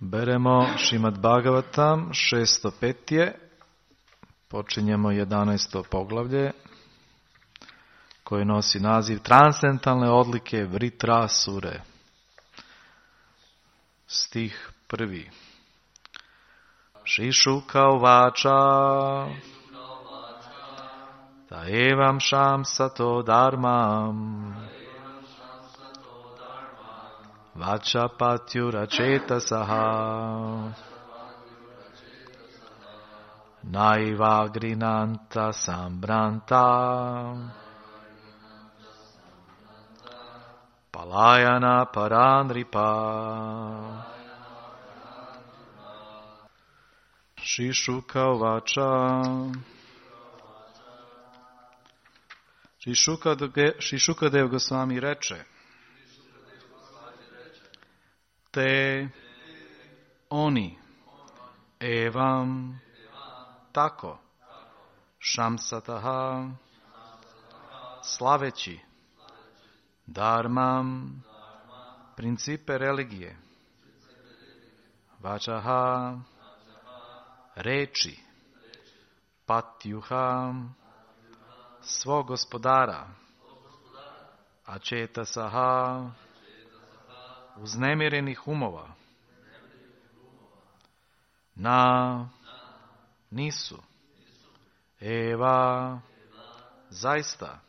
Beremo Šrimad Bhagavatam, 605. Počinjemo 11. poglavlje koje nosi naziv Transcendentalne odlike Vritrasure. Stih 1. Šišuka uvača ta evam šam sato dharmam vača patyura četasaha naivagrinanta sambranta palayana paranripa. Šišuka uvača Šišukadev Gosvami reče: te oni evam tako šamsataha slaveći dharmam principe religije vačaha reči patjuha svog gospodara ačetasaha uznemirenih umova na nisu eva zaista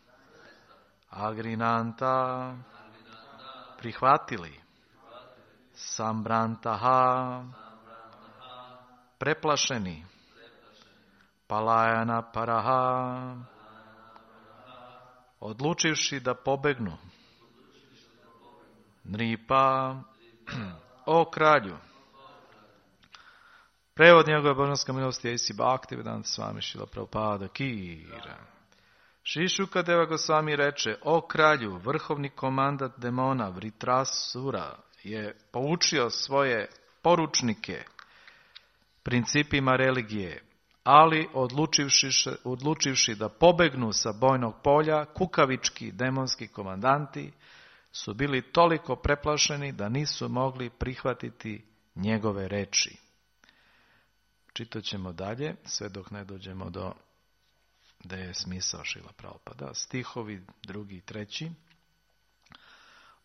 agrinanta prihvatili sambrantaha preplašeni palayana paraha odlučivši da pobegnu nripa o kralju. Prevod njegove božanske milosti A.C. Bhaktivedanta Swami Srila Prabhupada Kira. Šišukadeva Gosvami reče: o kralju, vrhovni komandant demona Vritrasura je poučio svoje poručnike principima religije, ali odlučivši da pobegnu sa bojnog polja, kukavički demonski komandanti su bili toliko preplašeni da nisu mogli prihvatiti njegove reči. Čitat ćemo dalje, sve dok ne dođemo do gde je smisao Šrila Prabhupada. Stihovi 2. i 3.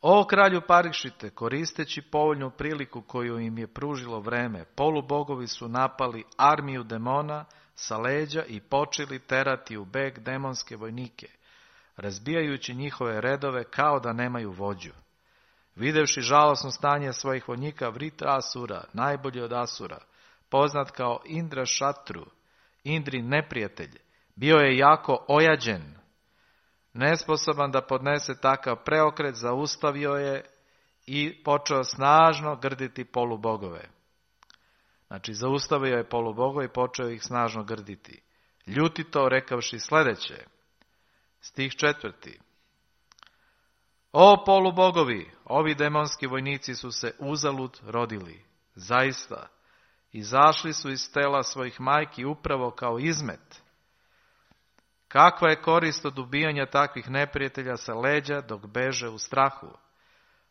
O kralju Parikšite, koristeći povoljnu priliku koju im je pružilo vreme, polubogovi su napali armiju demona sa leđa i počeli terati u beg demonske vojnike, razbijajući njihove redove kao da nemaju vođu. Videvši žalosno stanje svojih vojnika, Vritrasura, najbolji od Asura, poznat kao Indra Šatru, Indrin neprijatelj, bio je jako ojađen. Nesposoban da podnese takav preokret, zaustavio je i počeo snažno grditi polubogove. Znači, zaustavio je polubogove i počeo ih snažno grditi. Ljutito rekavši sljedeće. Stih 4. O polubogovi, ovi demonski vojnici su se uzalud rodili. Zaista, izašli su iz tela svojih majki upravo kao izmet. Kakva je korist od ubijanja takvih neprijatelja sa leđa dok beže u strahu?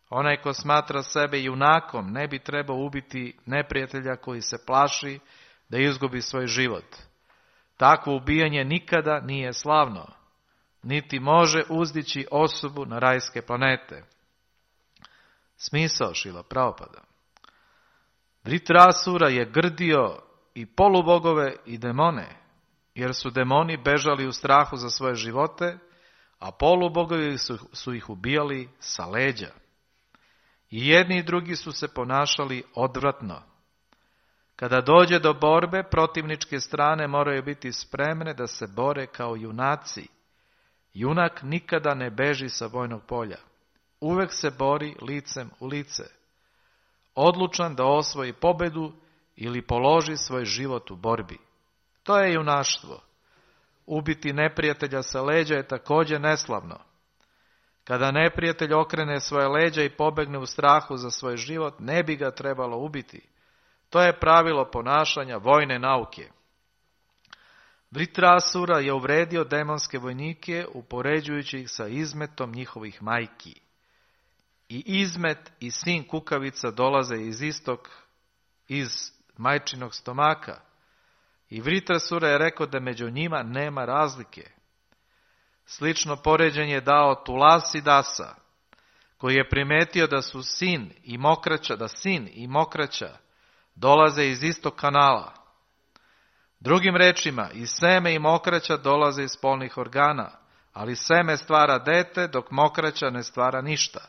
Onaj ko smatra sebe junakom ne bi trebao ubiti neprijatelja koji se plaši da izgubi svoj život. Takvo ubijanje nikada nije slavno, niti može uzdići osobu na rajske planete. Smisao Šrila Prabhupada. Vritrasura je grdio i polubogove i demone, jer su demoni bežali u strahu za svoje živote, a polubogovi su ih ubijali sa leđa. I jedni i drugi su se ponašali odvratno. Kada dođe do borbe, protivničke strane moraju biti spremne da se bore kao junaci. Junak nikada ne beži sa bojnog polja. Uvek se bori licem u lice. Odlučan da osvoji pobedu ili položi svoj život u borbi. To je junaštvo. Ubiti neprijatelja sa leđa je također neslavno. Kada neprijatelj okrene svoje leđa i pobegne u strahu za svoj život, ne bi ga trebalo ubiti. To je pravilo ponašanja vojne nauke. Vritrasura je uvredio demonske vojnike upoređujući ih sa izmetom njihovih majki. I izmet i sin kukavica dolaze iz istog iz majčinog stomaka. I Vritrasura je rekao da među njima nema razlike. Slično poređenje je dao Tulasidasa, koji je primetio da sin i mokraća dolaze iz istog kanala. Drugim rečima, i seme i mokraća dolaze iz spolnih organa, ali seme stvara dete, dok mokraća ne stvara ništa.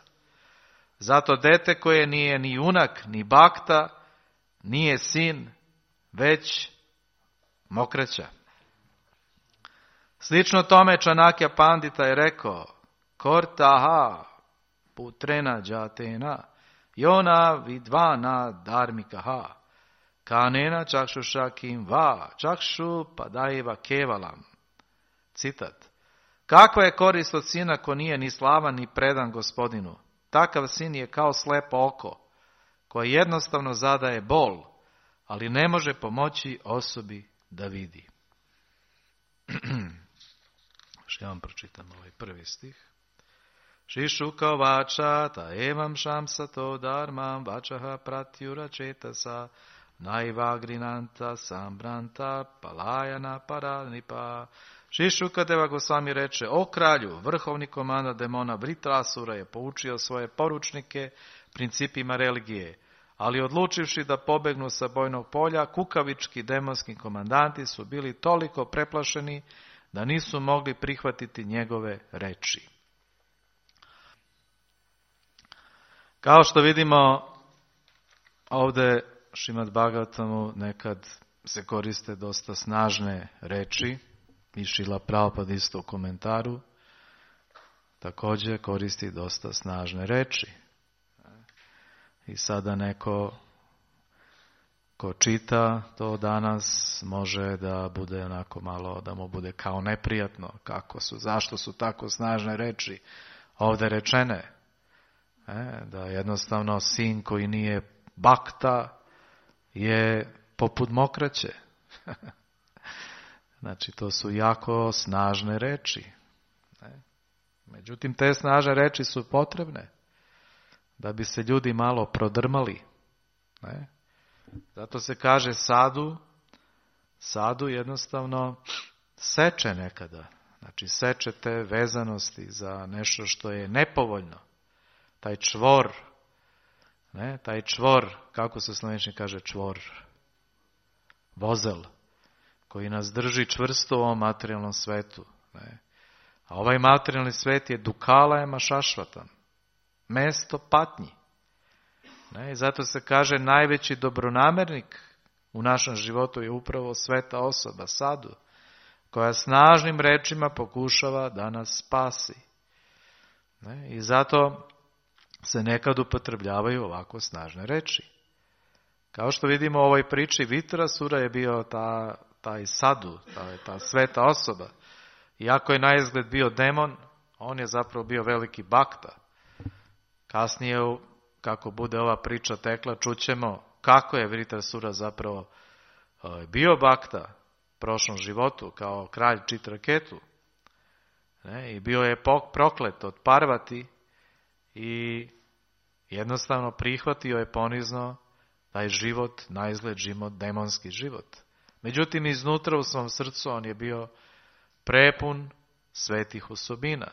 Zato dete koje nije ni junak, ni bakta, nije sin, već mokraća. Slično tome Čanakja Pandita je rekao, Kortaha putrena džatena, Jona vidvana dharmikaha, kanena čakšuša kim va, čakšu padajeva kevalam. Citat. Kakva je korist od sina ko nije ni slavan ni predan gospodinu? Takav sin je kao slepo oko, koje jednostavno zadaje bol, ali ne može pomoći osobi da vidi. Što ja vam pročitam ovaj prvi stih. Šišuka vača ta evam šamsato dharmam vačaha pratyura četasa naivagrinanta sambranta palajana paranipa. Šišuka Deva Gosvami reče, o kralju, vrhovni komanda demona Vritrasura je poučio svoje poručnike principima religije, ali odlučivši da pobegnu sa bojnog polja, kukavički demonski komandanti su bili toliko preplašeni da nisu mogli prihvatiti njegove reči. Kao što vidimo, ovdje Šrimad Bhagavatamu nekad se koriste dosta snažne reči, i Šrila Prabhupada isto u komentaru također koristi dosta snažne reči. I sada neko ko čita to danas može da bude onako malo, da mu bude kao neprijatno, zašto su tako snažne reči ovdje rečene. Da jednostavno sin koji nije bakta je poput mokraće. Znači, to su jako snažne reči. Međutim, te snažne reči su potrebne da bi se ljudi malo prodrmali. Zato se kaže sadu jednostavno seče nekada. Znači, seče te vezanosti za nešto što je nepovoljno. Taj čvor, kako se slovenčni kaže čvor? Vozel, koji nas drži čvrsto u ovom materijalnom svetu. A ovaj materijalni svet je dukalajama šašvatan, mesto patnji. I zato se kaže najveći dobronamernik u našem životu je upravo sveta osoba, sadu, koja snažnim rečima pokušava da nas spasi. I zato se nekad upotrebljavaju ovako snažne reči. Kao što vidimo u ovoj priči, Vritrasura je bio taj sadu, ta sveta osoba. Iako je na izgled bio demon, on je zapravo bio veliki bakta. Kasnije, kako bude ova priča tekla, čućemo kako je Vritrasura zapravo bio bakta u prošlom životu, kao kralj Čitraketu. I bio je proklet od Parvati i jednostavno prihvatio je ponizno taj život, na izgled život, demonski život. Međutim, iznutra u svom srcu on je bio prepun svetih osobina.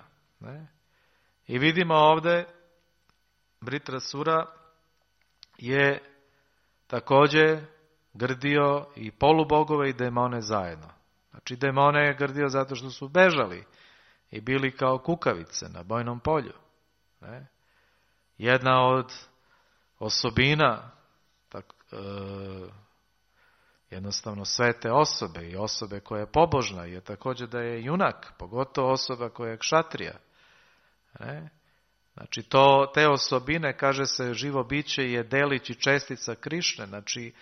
I vidimo ovdje, Vritrasura je također grdio i polubogove i demone zajedno. Znači, demone je grdio zato što su bežali i bili kao kukavice na bojnom polju. Jedna od osobina jednostavno svete osobe i osobe koja je pobožna je također da je junak, pogotovo osoba koja je kšatrija. Znači te osobine, kaže se, živo biće je delić i čestica Krišne. Znači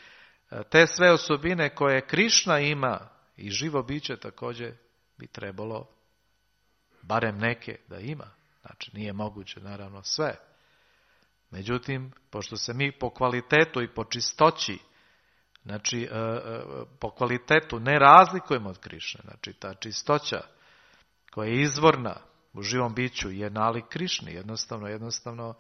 te sve osobine koje Krišna ima i živo biće također bi trebalo barem neke da ima. Znači nije moguće naravno sve. Međutim, pošto se mi po kvalitetu i po čistoći, znači po kvalitetu ne razlikujemo od Krišne, znači ta čistoća koja je izvorna u živom biću je nalik Krišni, jednostavno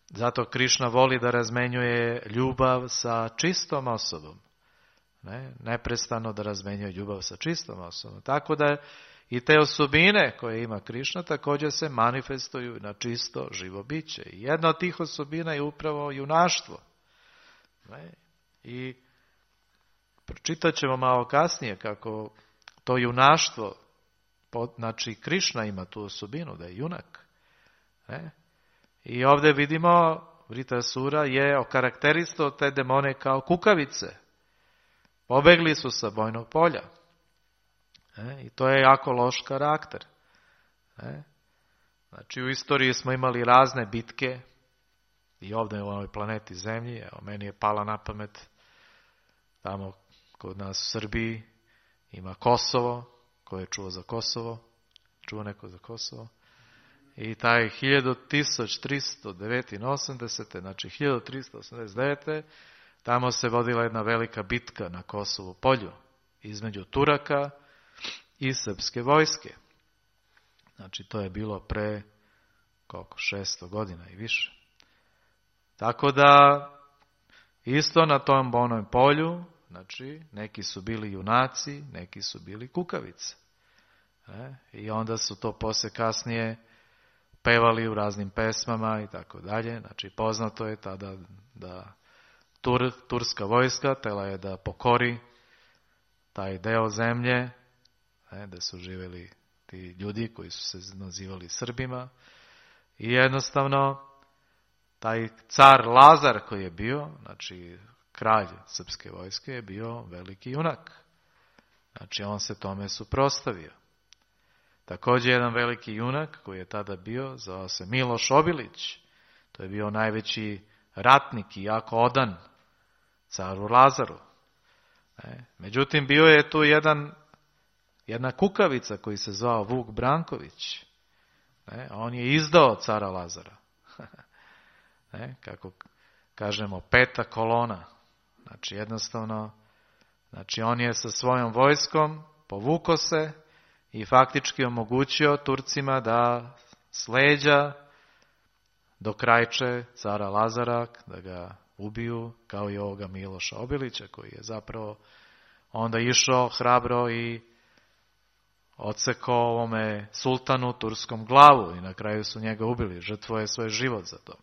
Zato Krišna voli da razmenjuje ljubav sa čistom osobom. Neprestano da razmenjuje ljubav sa čistom osobom. Tako da i te osobine koje ima Krišna također se manifestuju na čisto živo biće. I jedna od tih osobina je upravo junaštvo. I pročitat ćemo malo kasnije kako to junaštvo, znači Krišna ima tu osobinu da je junak. I ovdje vidimo Vritrasura je okarakteristao te demone kao kukavice. Pobegli su sa bojnog polja. I to je jako loš karakter. Znači u istoriji smo imali razne bitke i ovdje u ovoj planeti Zemlji. Evo, meni je pala na pamet tamo kod nas u Srbiji ima Kosovo. Ko je čuo za Kosovo? Čuo neko za Kosovo? I taj 1389. Znači 1389. tamo se vodila jedna velika bitka na Kosovu polju između Turaka i srpske vojske. Znači to je bilo pre 600 godina i više. Tako da isto na tom bonom polju, znači neki su bili junaci, neki su bili kukavice. I onda su to poslije kasnije pevali u raznim pesmama i tako dalje. Znači poznato je tada da turska vojska tela je da pokori taj deo zemlje, da su živjeli ti ljudi koji su se nazivali Srbima. I jednostavno taj car Lazar koji je bio, znači kralj srpske vojske, je bio veliki junak. Znači on se tome suprotstavio. Također jedan veliki junak koji je tada bio, zvao se Miloš Obilić. To je bio najveći ratnik i jako odan caru Lazaru. Međutim, bio je tu jedna kukavica koji se zvao Vuk Branković. On je izdao cara Lazara. Kako kažemo, peta kolona. Znači jednostavno, znači on je sa svojom vojskom povukao se i faktički omogućio Turcima da s leđa dokrajče cara Lazara, da ga ubiju, kao i ovoga Miloša Obilića, koji je zapravo onda išao hrabro i odsekao ovome sultanu turskom glavu i na kraju su njega ubili, žrtvuje svoj život za to.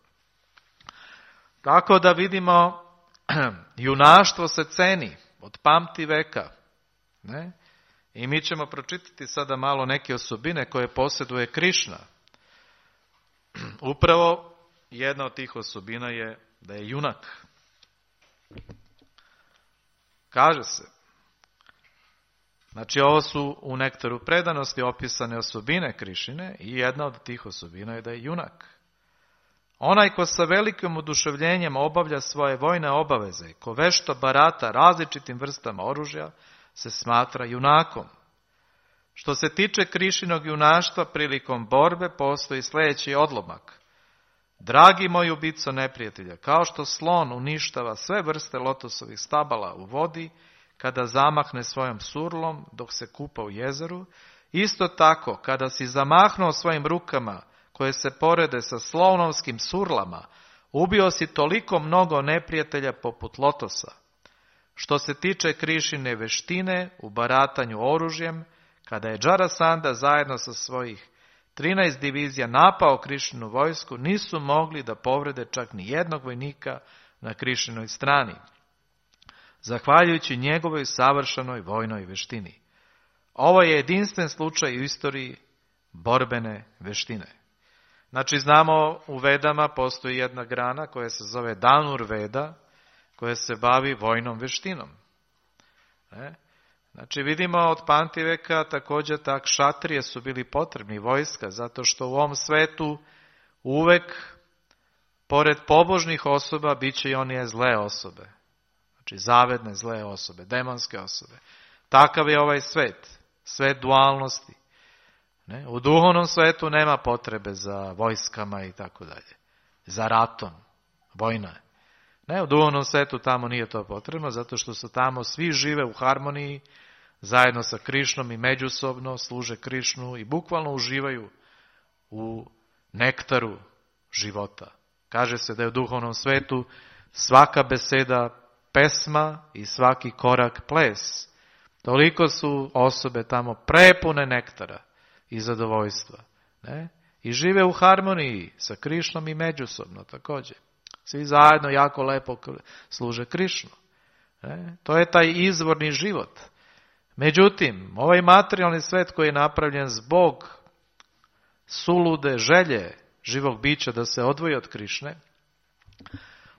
Tako da vidimo, junaštvo se ceni od pamti veka. I mi ćemo pročitati sada malo neke osobine koje posjeduje Krišna. Upravo jedna od tih osobina je da je junak. Kaže se, znači ovo su u nektaru predanosti opisane osobine Krišine i jedna od tih osobina je da je junak. Onaj ko sa velikim oduševljenjem obavlja svoje vojne obaveze, ko vešto barata različitim vrstama oružja, se smatra junakom. Što se tiče Krišinog junaštva, prilikom borbe postoji sljedeći odlomak. Dragi moj ubico neprijatelja, kao što slon uništava sve vrste lotosovih stabala u vodi, kada zamahne svojom surlom dok se kupa u jezeru, isto tako kada si zamahnuo svojim rukama koje se porede sa slonovskim surlama, ubio si toliko mnogo neprijatelja poput lotosa. Što se tiče Krišine veštine u baratanju oružjem, kada je Džarasanda zajedno sa svojih 13 divizija napao Krišinu vojsku, nisu mogli da povrede čak ni jednog vojnika na Krišinoj strani, zahvaljujući njegovoj savršenoj vojnoj veštini. Ovo je jedinstven slučaj u istoriji borbene veštine. Znači znamo u Vedama postoji jedna grana koja se zove Danur Veda, koja se bavi vojnom veštinom. Znači vidimo od pamtiveka također tak šatrije su bili potrebni vojska, zato što u ovom svetu uvek pored pobožnih osoba bit će i one zle osobe. Znači zavedne zle osobe, demonske osobe. Takav je ovaj svet, svet dualnosti. U duhovnom svetu nema potrebe za vojskama i tako dalje, za ratom, vojna je. U duhovnom svetu tamo nije to potrebno, zato što su tamo svi žive u harmoniji, zajedno sa Krišnom i međusobno služe Krišnu i bukvalno uživaju u nektaru života. Kaže se da je u duhovnom svetu svaka beseda pesma i svaki korak ples. Toliko su osobe tamo prepune nektara i zadovoljstva. Ne? I žive u harmoniji sa Krišnom i međusobno također. Svi zajedno jako lepo služe Krišnu. Ne? To je taj izvorni život. Međutim, ovaj materijalni svet koji je napravljen zbog sulude želje živog bića da se odvoji od Krišne,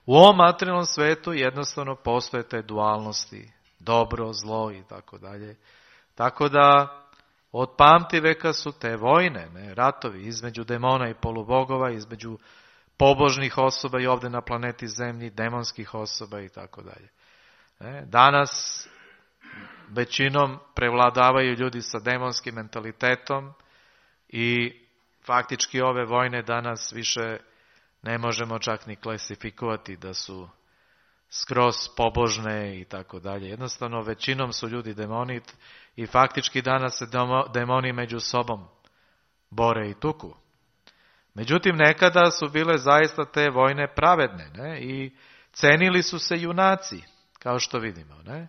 u ovom materijalnom svetu jednostavno postoje te dualnosti, dobro, zlo i tako dalje. Tako da od pamti veka su te vojne, ne, ratovi između demona i polubogova, između pobožnih osoba i ovdje na planeti Zemlji, demonskih osoba i tako dalje. Danas većinom prevladavaju ljudi sa demonskim mentalitetom i faktički ove vojne danas više ne možemo čak ni klasifikovati da su skroz pobožne i tako dalje. Jednostavno većinom su ljudi demoni i faktički danas se demoni među sobom bore i tuku. Međutim, nekada su bile zaista te vojne pravedne, ne? I cenili su se junaci, kao što vidimo. Ne?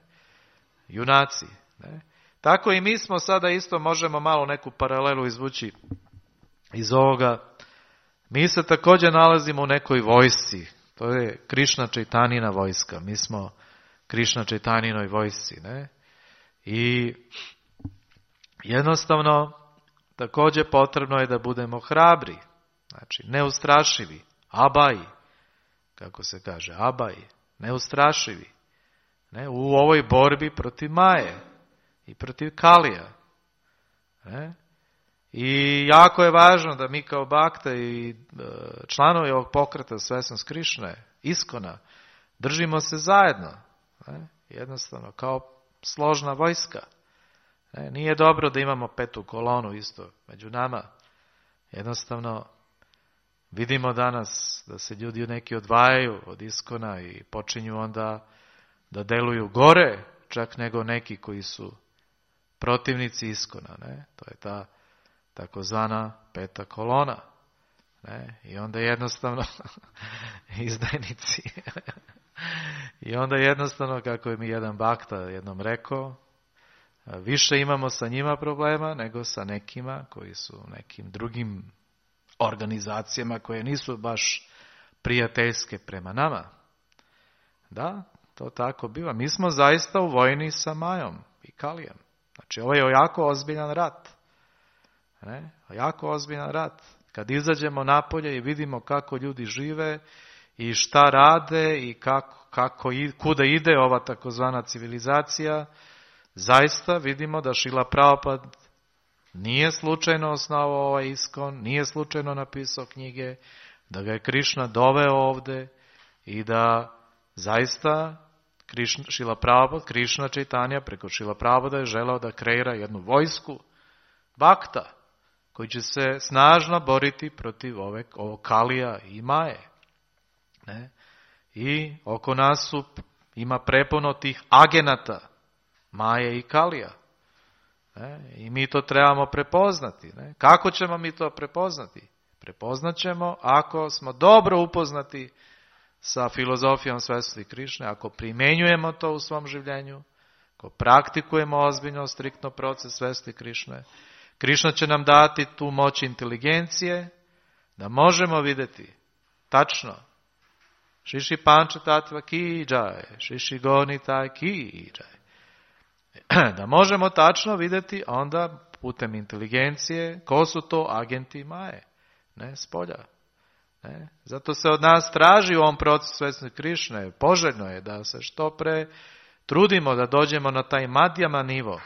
Junaci. Ne? Tako i mi smo sada isto, možemo malo neku paralelu izvući iz ovoga. Mi se također nalazimo u nekoj vojsci. To je Krišna Čaitanjina vojska. Mi smo Krišna Čaitanjinoj vojsci. Ne? I jednostavno također potrebno je da budemo hrabri. Znači, neustrašivi. Abaji. Kako se kaže? Abaji. Neustrašivi. Ne? U ovoj borbi protiv Maje i protiv Kalija. Ne? I jako je važno da mi kao bakte i članovi ovog pokreta Svesnost Krišne, Iskona, držimo se zajedno. Ne? Jednostavno, kao složna vojska. Ne? Nije dobro da imamo petu kolonu isto među nama. Jednostavno, vidimo danas da se ljudi neki odvajaju od Iskona i počinju onda da deluju gore, čak nego neki koji su protivnici Iskona. Ne? To je ta takozvana peta kolona. Ne? I onda jednostavno izdajnici. I onda jednostavno, kako je mi jedan bakta jednom rekao, više imamo sa njima problema nego sa nekima koji su nekim drugim organizacijama koje nisu baš prijateljske prema nama. Da, to tako biva. Mi smo zaista u vojni sa Majom i Kalijem. Znači, ovo je jako ozbiljan rat. Ne? Jako ozbiljan rat. Kad izađemo napolje i vidimo kako ljudi žive i šta rade i kuda ide ova takozvana civilizacija, zaista vidimo da Šrila Prabhupada nije slučajno osnovao ovaj Iskon, nije slučajno napisao knjige, da ga je Krišna doveo ovdje i da zaista Šrila Prabhupada, Krišna Čaitanja preko Šrila Prabhupada je želeo da kreira jednu vojsku bakta koji će se snažno boriti protiv ovog Kalija i Maje. Ne? I oko nas ima prepuno tih agenata Maje i Kalija. Ne? I mi to trebamo prepoznati. Ne? Kako ćemo mi to prepoznati? Prepoznat ćemo ako smo dobro upoznati sa filozofijom svesnosti Krišne, ako primjenjujemo to u svom življenju, ako praktikujemo ozbiljno, striktno proces svesnosti Krišne. Krišna će nam dati tu moć inteligencije da možemo vidjeti tačno Šiši Panča Tatva ki džaj, Šiši Gonita ki džaj. Da možemo tačno vidjeti onda putem inteligencije ko su to agenti Maje, ne spolja. Ne? Zato se od nas traži u ovom procesu svesnosti Krišne, poželjno je da se što pre trudimo da dođemo na taj madjama nivo,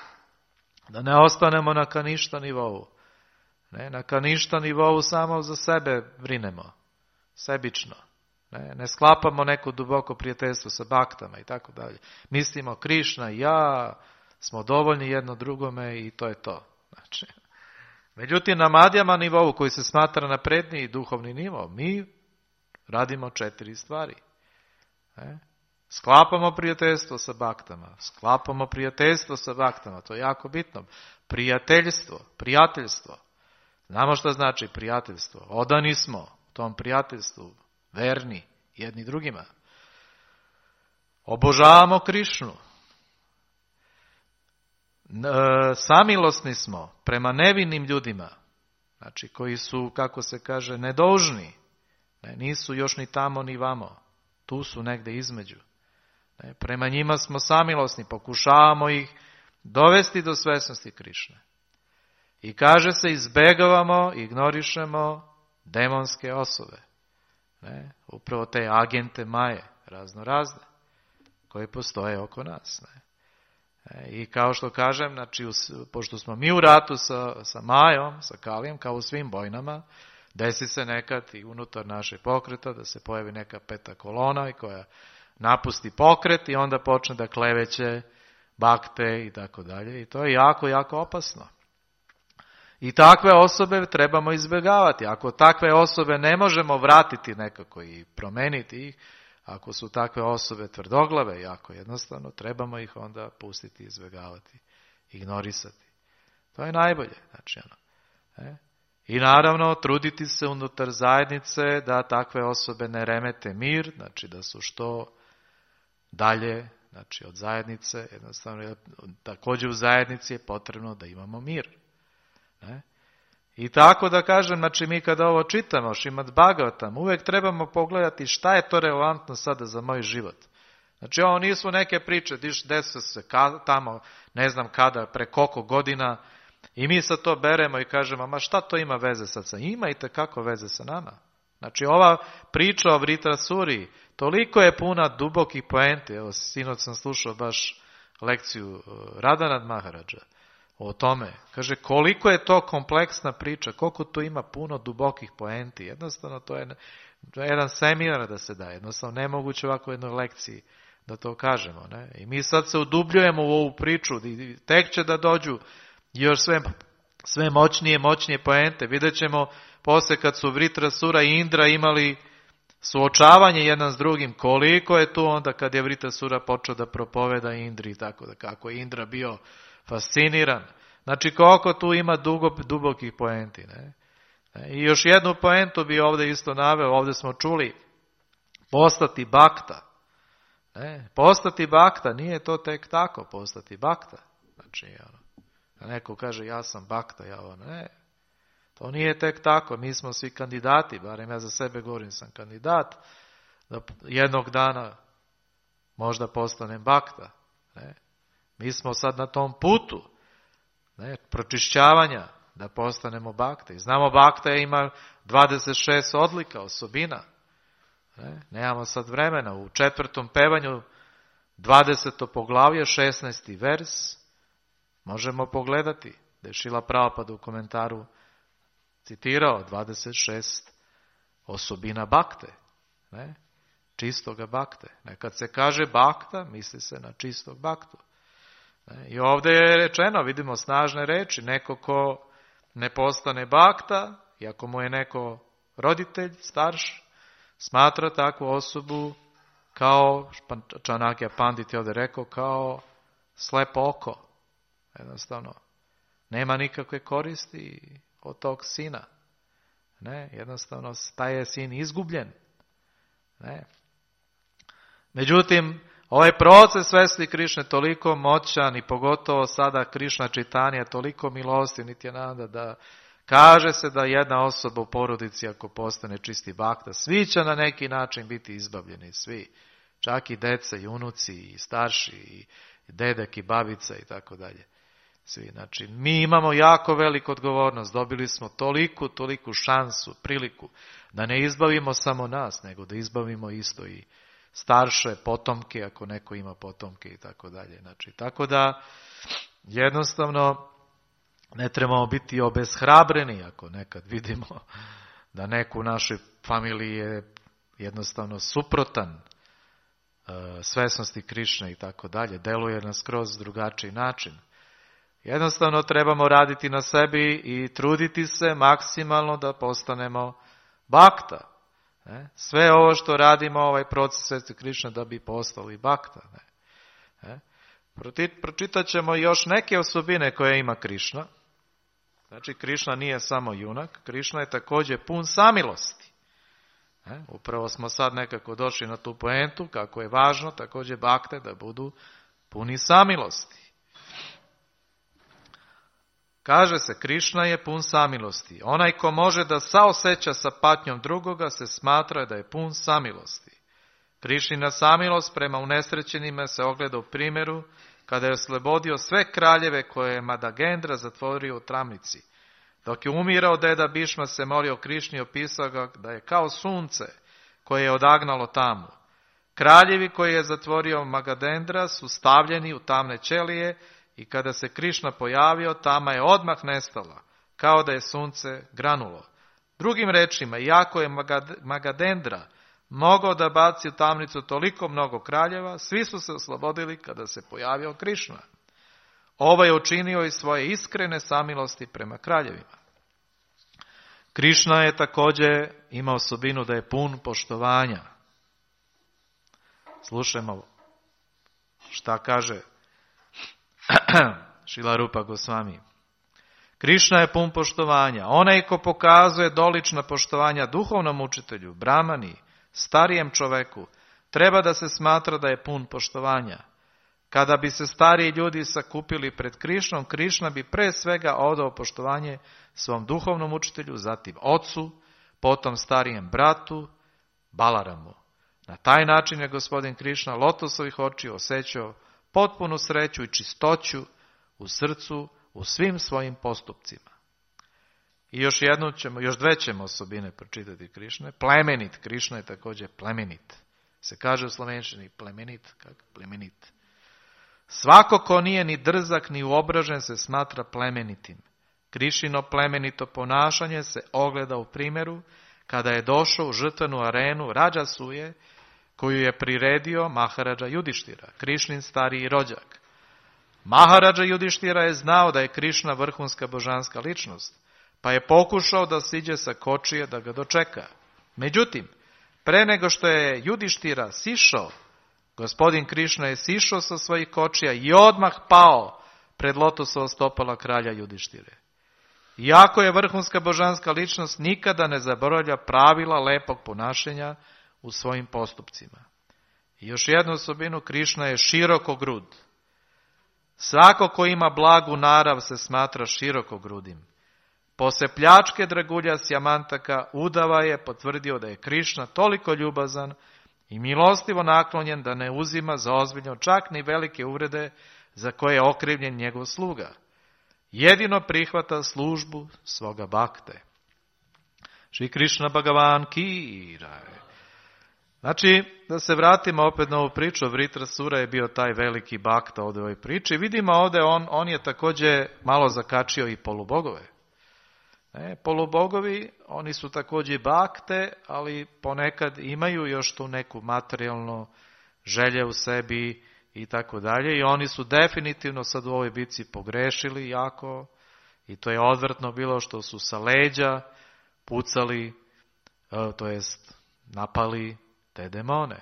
da ne ostanemo na kaništa nivou. Ne? Na kaništa nivou samo za sebe brinemo, sebično. Ne sklapamo neko duboko prijateljstvo sa baktama i tako dalje. Mislimo Krišna i ja smo dovoljni jedno drugome i to je to. Znači, međutim, na madjama nivou koji se smatra napredniji duhovni nivo, mi radimo 4 stvari. Sklapamo prijateljstvo sa baktama. Sklapamo prijateljstvo sa baktama. To je jako bitno. Prijateljstvo. Znamo što znači prijateljstvo. Odani smo tom prijateljstvu. verni jedni drugima. Obožavamo Krišnu. Samilosni smo prema nevinim ljudima, znači koji su, kako se kaže, nedužni. Nisu još ni tamo ni vamo. Tu su negde između. Prema njima smo samilosni, pokušavamo ih dovesti do svesnosti Krišne. I kaže se, izbegavamo, ignorišemo demonske osobe. Upravo te agente Maje, razne, koje postoje oko nas. I kao što kažem, znači, pošto smo mi u ratu sa Majom, sa Kalijem, kao u svim vojnama, desi se nekad i unutar našeg pokreta da se pojavi neka peta kolona koja napusti pokret i onda počne da kleveće bakte i tako dalje. I to je jako, jako opasno. I takve osobe trebamo izbjegavati. Ako takve osobe ne možemo vratiti nekako i promeniti ih, ako su takve osobe tvrdoglave, jako jednostavno, trebamo ih onda pustiti, izbjegavati, ignorisati. To je najbolje. Znači, I naravno, truditi se unutar zajednice da takve osobe ne remete mir, znači da su što dalje, znači od zajednice, jednostavno, također u zajednici je potrebno da imamo mir. I tako da kažem, znači mi kada ovo čitamo, Šrimad Bhagavatam, uvijek trebamo pogledati šta je to relevantno sada za moj život. Znači ovo nisu neke priče, desilo se tamo, ne znam kada, pre koliko godina, i mi sad to beremo i kažemo, ma šta to ima veze sad sa? Ima i tekako veze sa nama. Znači ova priča o Vritrasuri, toliko je puna dubokih poenti. Evo, sinoć sam slušao baš lekciju Radhanat Maharadža o tome. Kaže, koliko je to kompleksna priča, koliko tu ima puno dubokih poenti. Jednostavno, to je jedan seminar da se daje. Jednostavno, nemoguće ovako u jednoj lekciji da to kažemo. Ne? I mi sad se udubljujemo u ovu priču, i tek će da dođu još sve moćnije poente. Vidjet ćemo poslije kad su Vritrasura i Indra imali suočavanje jedan s drugim, koliko je tu onda kad je Vritrasura počeo da propoveda Indri, tako da kako je Indra bio fasciniran. Znači koliko tu ima dubokih poenti. Ne? I još jednu poentu bi ovdje isto naveo, ovdje smo čuli, postati bakta. Postati bakta, nije to tek tako postati bakta. Znači, neko kaže ja sam bakta, ne. To nije tek tako, mi smo svi kandidati, barem ja za sebe govorim, sam kandidat, da jednog dana možda postanem bakta. Ne. Mi smo sad na tom putu pročišćavanja da postanemo bakte. I znamo bakta ima 26 odlika, osobina. Nemamo sad vremena. U 4. pevanju 20. poglavlje, 16. vers, možemo pogledati da je Šrila Prabhupada u komentaru citirao 26 osobina bakte. Čistoga bakte. Kad se kaže bakta, misli se na čistog baktu. I ovdje je rečeno, vidimo snažne reči, neko ko ne postane bakta, iako mu je neko roditelj, starš, smatra takvu osobu kao, Čanakya Pandit je ovdje rekao, kao slepo oko. Jednostavno, nema nikakve koristi od tog sina. Jednostavno, taj je sin izgubljen. Međutim, ovaj proces svesti Krišne toliko moćan i pogotovo sada Krišna Čitanja toliko milostiv Nityananda da kaže se da jedna osoba u porodici ako postane čisti bakta, svi će na neki način biti izbavljeni, svi. Čak i deca, i unuci, i starši, i dedek, i babica i tako dalje. Svi. Znači, mi imamo jako veliku odgovornost, dobili smo toliku šansu, priliku da ne izbavimo samo nas, nego da izbavimo isto i starše, potomke, ako neko ima potomke i tako dalje. Znači, tako da jednostavno ne trebamo biti obeshrabreni ako nekad vidimo da neko u našoj familiji je jednostavno suprotan svesnosti Krišne i tako dalje, deluje na skroz drugačiji način. Jednostavno trebamo raditi na sebi i truditi se maksimalno da postanemo bakta. Sve ovo što radimo, ovaj proces svesti Krišne da bi postali bakta. Pročitat ćemo još neke osobine koje ima Krišna. Znači, Krišna nije samo junak, Krišna je također pun samilosti. Upravo smo sad nekako došli na tu poentu kako je važno također bakte da budu puni samilosti. Kaže se, Krišna je pun samilosti. Onaj ko može da saoseća sa patnjom drugoga se smatra da je pun samilosti. Krišnina samilost prema unesrećenima se ogleda u primjeru kada je oslobodio sve kraljeve koje je Madagendra zatvorio u tamnici. Dok je umirao, deda Bišma se molio Krišni i opisao ga da je kao sunce koje je odagnalo tamu. Kraljevi koje je zatvorio Magadendra su stavljeni u tamne ćelije i kada se Krišna pojavio, tama je odmah nestala, kao da je sunce granulo. Drugim rečima, iako je Magadendra mogao da baci u tamnicu toliko mnogo kraljeva, svi su se oslobodili kada se pojavio Krišna. Ovo je učinio iz svoje iskrene samilosti prema kraljevima. Krišna je također ima osobinu da je pun poštovanja. Slušajmo šta kaže Šrila Rupa Gosvami. Krišna je pun poštovanja. Onaj ko pokazuje dolična poštovanja duhovnom učitelju, brahmani, starijem čoveku, treba da se smatra da je pun poštovanja. Kada bi se stariji ljudi sakupili pred Krišnom, Krišna bi pre svega odao poštovanje svom duhovnom učitelju, zatim ocu, potom starijem bratu, Balaramu. Na taj način je gospodin Krišna lotosovih očiju osjećao potpunu sreću i čistoću u srcu, u svim svojim postupcima. I još dve ćemo osobine pročitati Krišne. Plemenit, Krišna je također plemenit. Se kaže u slovenščini plemenit, kako plemenit. Svako ko nije ni drzak ni uobražen se smatra plemenitim. Krišino plemenito ponašanje se ogleda u primjeru kada je došao u žrtvenu arenu Rađasuje, koju je priredio Maharadža Judištira, Krišnin stariji rođak. Maharadža Judištira je znao da je Krišna vrhunska božanska ličnost, pa je pokušao da siđe sa kočije da ga dočeka. Međutim, pre nego što je Judištira sišao, gospodin Krišna je sišao sa svojih kočija i odmah pao pred lotosova stopala kralja Judištire. Iako je vrhunska božanska ličnost, nikada ne zaboravlja pravila lepog ponašanja u svojim postupcima. I još jednu osobinu, Krišna je širokogrud. Svako ko ima blagu narav se smatra širokogrudim. Poslije pljačke dragulja Sjamantaka, Udava je potvrdio da je Krišna toliko ljubazan i milostivo naklonjen da ne uzima za ozbiljno čak ni velike uvrede za koje je okrivljen njegov sluga. Jedino prihvata službu svoga bakte. Šri Krišna Bhagavan ki jai. Znači, da se vratimo opet na ovu priču, Vritrasura je bio taj veliki bakta ovdje u ovoj priči. Vidimo ovdje, on je također malo zakačio i polubogove. Polubogovi, oni su također bakte, ali ponekad imaju još tu neku materijalnu želje u sebi i tako dalje. I oni su definitivno sad u ovoj bitci pogrešili jako i to je odvrtno bilo što su sa leđa pucali, to jest napali te demone.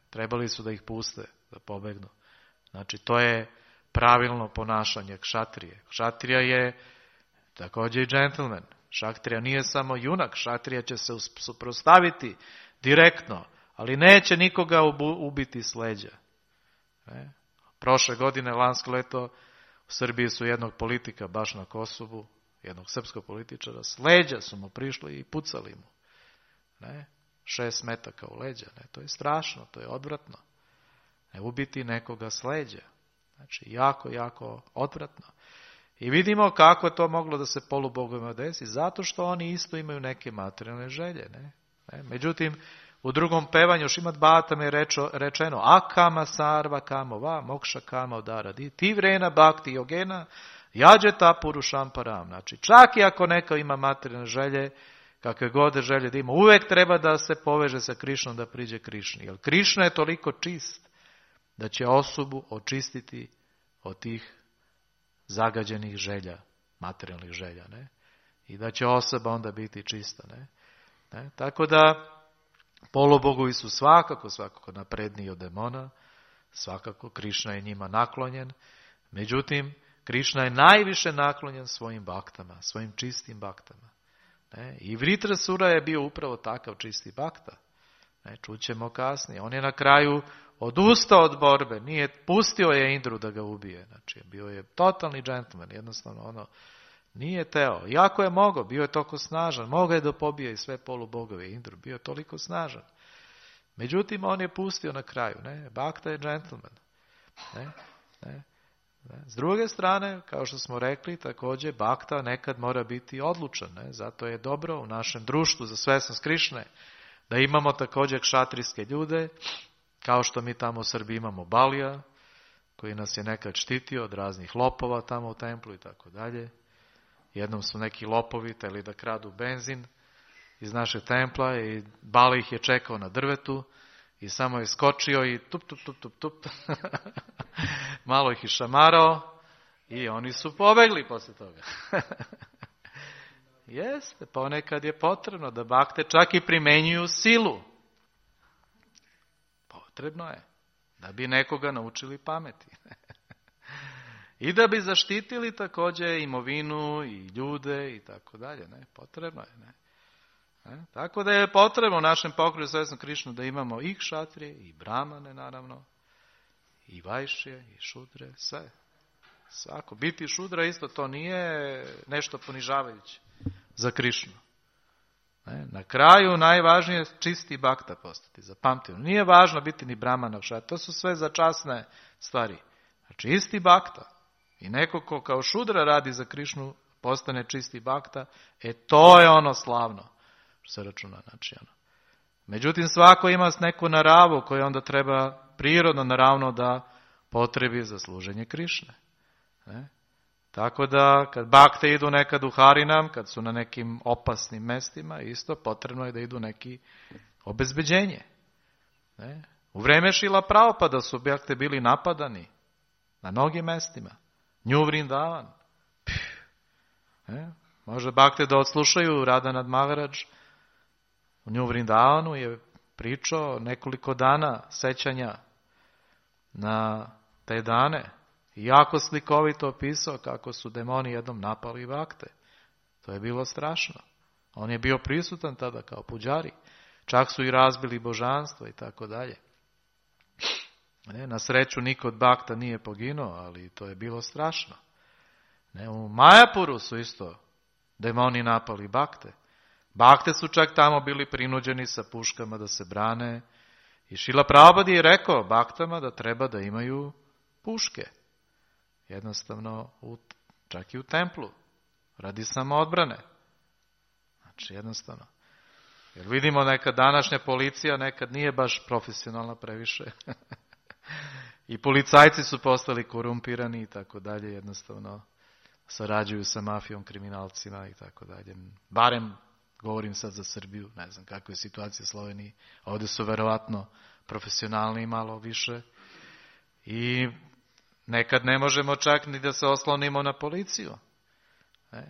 Trebali su da ih puste, da pobegnu. Znači to je pravilno ponašanje kšatrije. Kšatrija je također i džentlmen. Šaktrija nije samo junak, šatrija će se suprotstaviti direktno, ali neće nikoga ubiti s leđa. Prošle godine, lansko leto, u Srbiji su jednog politika baš na Kosovu, jednog srpskog političara, s leđa su mu prišli i pucali mu. 6 metaka u leđa. To je strašno, to je odvratno. Ne ubiti nekoga s leđa. Znači, jako, jako odvratno. I vidimo kako je to moglo da se polubogovima desi, zato što oni isto imaju neke materijalne želje. Međutim, u drugom pevanju Šrimad Bhagavatam je rečeno akama sarva kamo va mokša kama udaradi ti vrena bhakti yogena jađeta purušam param. Znači, čak i ako neko ima materijalne želje, kakve god želje da ima, uvijek treba da se poveže sa Krišnom da priđe Krišni. Jer Krišna je toliko čist da će osobu očistiti od tih zagađenih želja, materijalnih želja. I da će osoba onda biti čista. Tako da polubogovi su svakako napredniji od demona, svakako Krišna je njima naklonjen, međutim Krišna je najviše naklonjen svojim baktama, svojim čistim baktama. I Vritrasura je bio upravo takav čisti bakta. Čućemo kasnije. On je na kraju odustao od borbe, pustio je Indru da ga ubije. Znači, bio je totalni džentlmen, jednostavno nije teo. Iako je mogao, bio je toliko snažan, mogao je da pobije i sve polubogove Indru, bio je toliko snažan. Međutim, on je pustio na kraju. Bakta je džentlmen. S druge strane, kao što smo rekli, također bakta nekad mora biti odlučan. Zato je dobro u našem društvu za svesnost Krišne da imamo također kšatrijske ljude, kao što mi tamo u Srbiji imamo Balija, koji nas je nekad štitio od raznih lopova tamo u templu i tako dalje. Jednom su neki lopovi hteli da kradu benzin iz našeg templa i Bali ih je čekao na drvetu i samo je skočio i tup. Malo ih je šamarao i oni su pobegli posle toga. Jeste, ponekad je potrebno da bakte čak i primenjuju silu. Potrebno je da bi nekoga naučili pameti. I da bi zaštitili također imovinu i ljude i tako dalje. Potrebno je. Tako da je potrebno u našem pokretu svesnog Krišnu da imamo i kšatrije, i bramane naravno, i vajšije, i šudre, sve. Svako. Biti šudra isto to nije nešto ponižavajuće za Krišnu. Na kraju najvažnije je čisti bakta postati, zapamtimo. Nije važno biti ni bramana, to su sve začasne stvari. Znači isti bakta i neko ko kao šudra radi za Krišnu postane čisti bakta, to je ono slavno što se računa. Znači, Međutim, svako ima neku naravu koju onda treba prirodno, naravno da potrebi za služenje Krišne. Tako da, kad bakte idu nekad u Harinam, kad su na nekim opasnim mestima, isto potrebno je da idu neki obezbeđenje. U vreme Šila Prabhupada su bakte bili napadani na mnogim mestima. Nju Vrindavan. Može bakte da odslušaju Radhanat Maharaj. U Nju Vrindavanu je pričao nekoliko dana sećanja na te dane. I jako slikovito opisao kako su demoni jednom napali bakte. To je bilo strašno. On je bio prisutan tada kao puđari. Čak su i razbili božanstvo i tako dalje. Na sreću niko od bakta nije poginuo, ali to je bilo strašno. U Majapuru su isto demoni napali bakte. Bakte su čak tamo bili prinuđeni sa puškama da se brane. I Šrila Prabhupada je rekao baktama da treba da imaju puške. Jednostavno, čak i u templu. Radi samo odbrane. Znači, jednostavno. Jer vidimo neka današnja policija nekad nije baš profesionalna previše. I policajci su postali korumpirani i tako dalje. Jednostavno, sarađuju sa mafijom, kriminalcima i tako dalje. Barem, govorim sad za Srbiju, ne znam kakva je situacija u Sloveniji. Ovdje su verovatno profesionalni malo više. I nekad ne možemo čak ni da se oslonimo na policiju.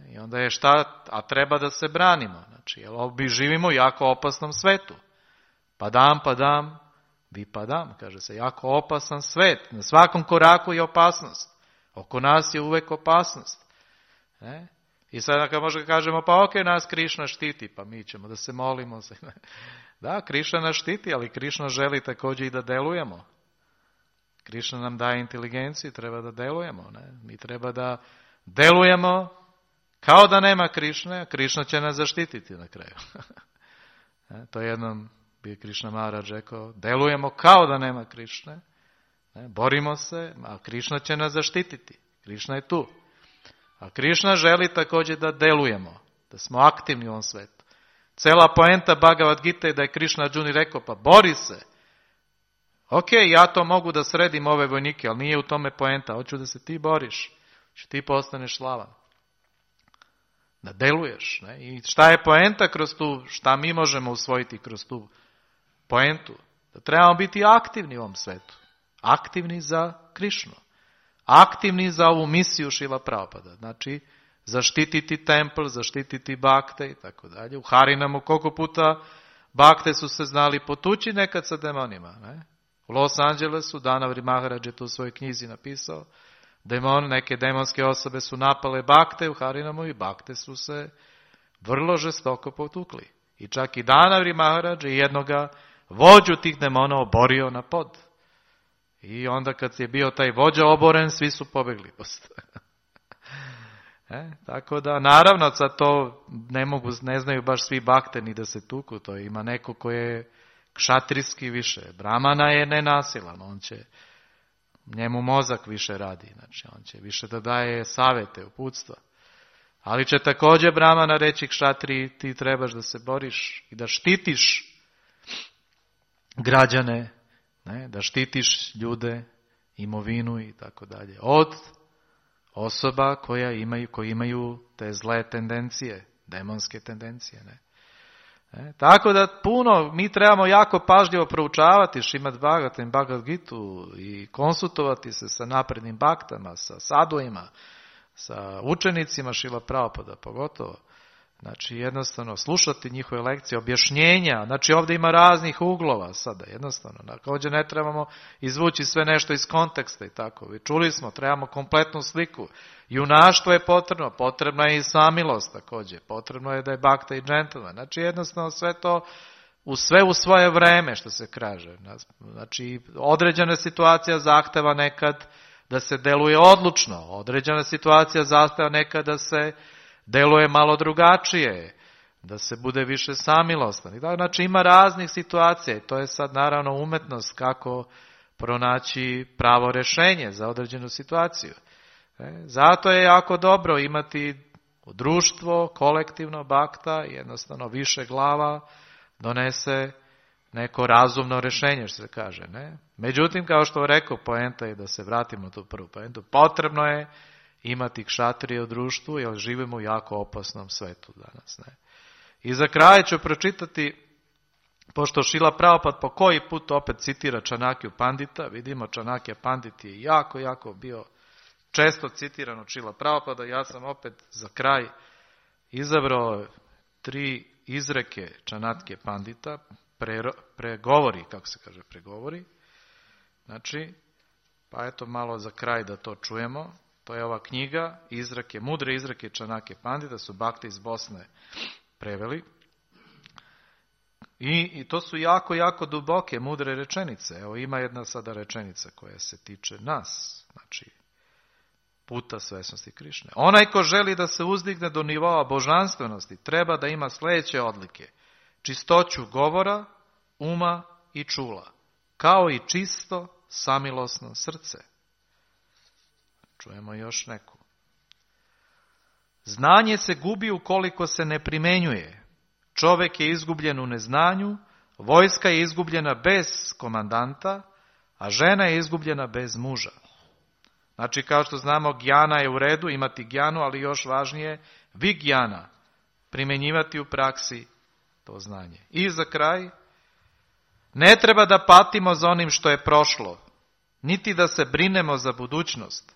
I onda je šta, a treba da se branimo. Znači, jer živimo u jako opasnom svetu. Padam, vipadam, kaže se, jako opasan svet. Na svakom koraku je opasnost. Oko nas je uvek opasnost. I sada kad možda kažemo, pa ok, nas Krišna štiti, pa mi ćemo da se molimo. Da, Krišna nas štiti, ali Krišna želi također i da delujemo. Krišna nam daje inteligenciju, treba da delujemo. Mi treba da delujemo kao da nema Krišne, a Krišna će nas zaštititi na kraju. To jednom bi Krišna Maharaj rekao, delujemo kao da nema Krišne, borimo se, a Krišna će nas zaštititi. Krišna je tu. A Krišna želi također da delujemo, da smo aktivni u ovom svetu. Cela poenta Bhagavad Gita je da je Krišna Arjuni rekao, pa bori se. Ok, ja to mogu da sredim ove vojnike, ali nije u tome poenta. Hoću da se ti boriš, da ti postaneš slavan. Da deluješ. I šta je poenta kroz tu, šta mi možemo usvojiti kroz tu poentu? Da trebamo biti aktivni u ovom svetu. Aktivni za Krišnu. Aktivni za ovu misiju Šrila Prabhupada. Znači, zaštititi templ, zaštititi bakte i tako dalje. U Harinamu koliko puta bakte su se znali potući nekad sa demonima. U Los Angelesu, Dhanavri Maharaj je to u svojoj knjizi napisao, neke demonske osobe su napale bakte u Harinamu i bakte su se vrlo žestoko potukli. I čak i Danavri Maharadž je jednoga vođu tih demona oborio na pod. I onda kad je bio taj vođa oboren, svi su pobegli. Tako da, naravno, sad to ne znaju baš svi bakte ni da se tuku, to ima neko ko je kšatrijski više. Brahmana je nenasilan, njemu mozak više radi, znači on će više da daje savete, uputstva. Ali će također Brahmana reći kšatriji, ti trebaš da se boriš i da štitiš građane, da štitiš ljude, imovinu i tako dalje. Od osoba koji imaju te zle tendencije, demonske tendencije. Tako da mi trebamo jako pažljivo proučavati Šrimad Bhagavatam, Bhagavad Gitu i konsultovati se sa naprednim baktama, sa saduima, sa učenicima Šrila Prabhupada pogotovo. Znači jednostavno slušati njihove lekcije, objašnjenja, znači ovdje ima raznih uglova sada, jednostavno. Također ne trebamo izvući sve nešto iz konteksta i tako. Čuli smo, trebamo kompletnu sliku. Junaštvo je potrebna je i samilost također, potrebno je da je bakta i džentlmen. Znači jednostavno sve to, sve u svoje vreme što se kaže. Znači određena situacija zahteva nekad da se deluje odlučno, određena situacija zahteva nekad da se deluje malo drugačije, da se bude više samilostan. Znači ima raznih situacija i to je sad naravno umetnost kako pronaći pravo rješenje za određenu situaciju. Zato je jako dobro imati društvo, kolektivno bakta, jednostavno više glava donese neko razumno rješenje, što se kaže. Međutim, kao što rekao, poenta je da se vratimo na tu prvu poentu. Potrebno je imati kšatrije u društvu, jer živimo u jako opasnom svetu danas. I za kraj ću pročitati, pošto Šrila Prabhupada po koji put opet citira Čanakiju Pandita, vidimo Čanakija Pandit je jako bio često citiran od Šrila Prabhupada, ja sam opet za kraj izabrao 3 izreke Čanakije Pandita, pregovori, kako se kaže pregovori, znači, pa eto malo za kraj da to čujemo. To je ova knjiga, mudre izreke Čanakije Pandita, su bakti iz Bosne preveli. I to su jako duboke, mudre rečenice. Evo ima jedna sada rečenica koja se tiče nas, znači puta svesnosti Krišne. Onaj ko želi da se uzdigne do nivoa božanstvenosti, treba da ima sljedeće odlike: čistoću govora, uma i čula, kao i čisto, samilosno srce. Čujemo još neku. Znanje se gubi ukoliko se ne primenjuje. Čovjek je izgubljen u neznanju, vojska je izgubljena bez komandanta, a žena je izgubljena bez muža. Znači, kao što znamo, gjana je u redu, imati gjanu, ali još važnije, vigjana, primjenjivati u praksi to znanje. I za kraj, ne treba da patimo za onim što je prošlo, niti da se brinemo za budućnost.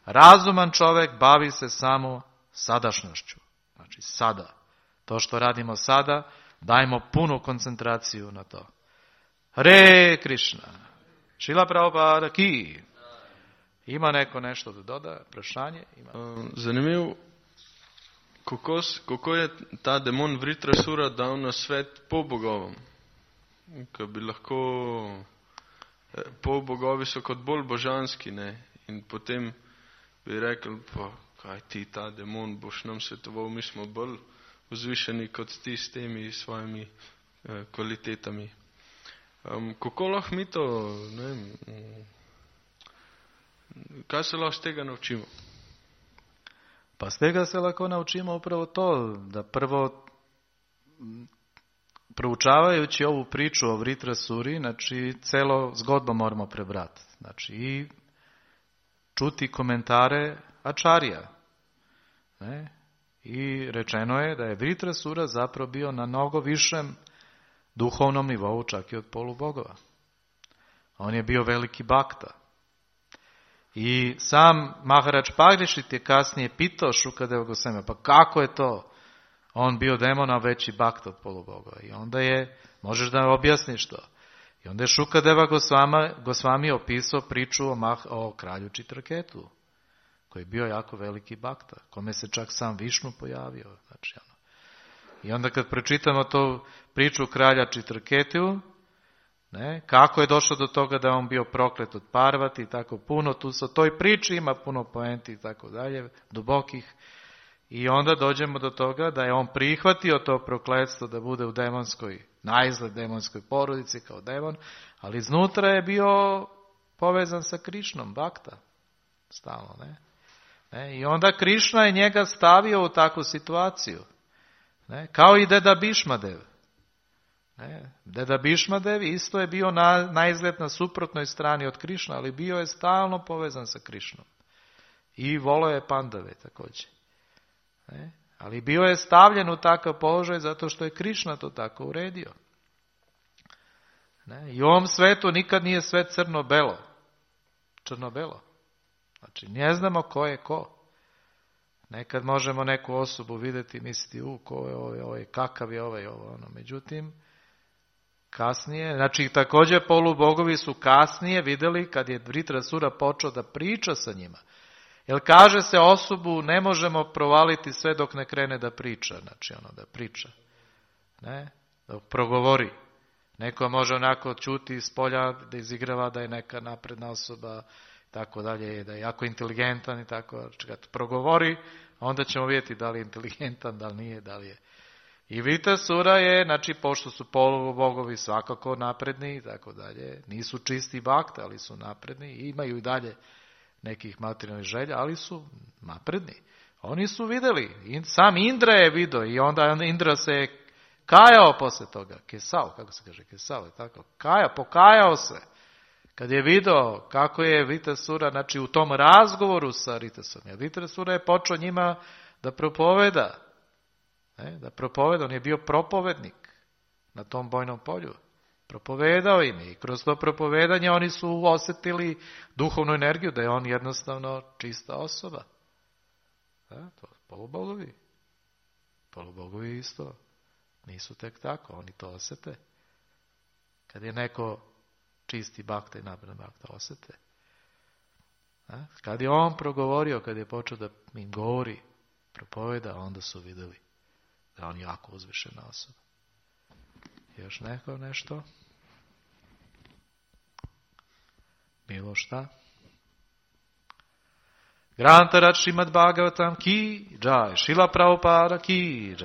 Razuman čovjek bavi se samo sadašnjošću. Znači sada. To što radimo sada, dajmo punu koncentraciju na to. Hare Krishna. Šrila Prabhupada ki. Ima neko nešto da doda? Vprašanje? Zanimivo, kako je ta demon Vritrasura dal na svet polbogovom. Ko bi lahko polbogovi so kot bolj božanski, in potem bi rekel, pa kaj ti, ta demon, boš nam svetoval, mi smo bolj vzvišeni kot ti s temi svojimi kvalitetami. Kako lahko mi to, kaj se lahko z tega naučimo? Pa z tega se lahko naučimo upravo to, da prvo, proučavajući ovu priču o Vritrasuri, znači celo zgodbo moramo prebrati. Znači i čuti komentare Ačarija. I rečeno je da je Vritrasura zapravo bio na mnogo višem duhovnom nivou čak i od polubogova. On je bio veliki bakta. I sam Maharaj Parikshit je kasnije pitao Šukadeva Gosvamija, pa kako je to? On bio demon, a veći bakta od polubogova. I onda je, možeš da objasniš to? I onda je Šukadeva Gosvami opisao priču o kralju Čitraketu, koji je bio jako veliki bakta, kome se čak sam Višnu pojavio. Znači, I onda kad pročitamo tu priču kralja Čitrketiju, kako je došlo do toga da je on bio proklet od Parvati i tako puno, tu sa toj priči ima puno poenti i tako dalje, dubokih. I onda dođemo do toga da je on prihvatio to prokletstvo da bude u demonskoj, naizgled demonskoj porodici kao demon, ali iznutra je bio povezan sa Krišnom, Bakta, stalno, I onda Krišna je njega stavio u takvu situaciju, kao i deda Bišmadev. Deda Bišmadev isto je bio naizgled na suprotnoj strani od Krišna, ali bio je stalno povezan sa Krišnom. I volio je Pandave također. Ali bio je stavljen u takav položaj zato što je Krišna to tako uredio. I u ovom svetu nikad nije sve crno-belo. Crno-belo. Znači, ne znamo ko je ko. Nekad možemo neku osobu vidjeti i misliti, ko je ovaj, kakav je ovaj, ono. Međutim, kasnije, znači također polubogovi su kasnije vidjeli kad je Vritrasura počeo da priča sa njima. Jer kaže se osobu ne možemo provaliti sve dok ne krene da priča, znači da priča. Dok progovori. Neko može onako čuti iz polja da izigrava da je neka napredna osoba, tako dalje, da je jako inteligentan i tako. Kad progovori, onda ćemo vidjeti da li je inteligentan, da li nije, da li je. I Vritrasura je, znači, pošto su polubogovi svakako napredni i tako dalje, nisu čisti bakta, ali su napredni i imaju i dalje nekih materijalnih želja, ali su napredni. Oni su vidjeli, sam Indra je vidio i onda Indra se kajao posle toga. Kesao, kako se kaže, kesao je tako. Pokajao se. Kad je vidio kako je Vritrasura, znači u tom razgovoru sa Vritrasurom, jer Vritrasura je počeo njima da propoveda. Da propoveda, on je bio propovednik na tom bojnom polju. Propovedao im i kroz to propovedanje oni su osjetili duhovnu energiju, da je on jednostavno čista osoba. To polubogovi. Polubogovi isto. Nisu tek tako, oni to osjete. Kad je neko čisti bakta i napredan bakta, osjete. Kad je on progovorio, kad je počeo da im govori, propoveda, onda su vidjeli da on jako uzvišena osoba. Još neko nešto? Bilo šta? Grantarat Šrimad Bhagavatam ki jai, Šrila Prabhupada ki jai.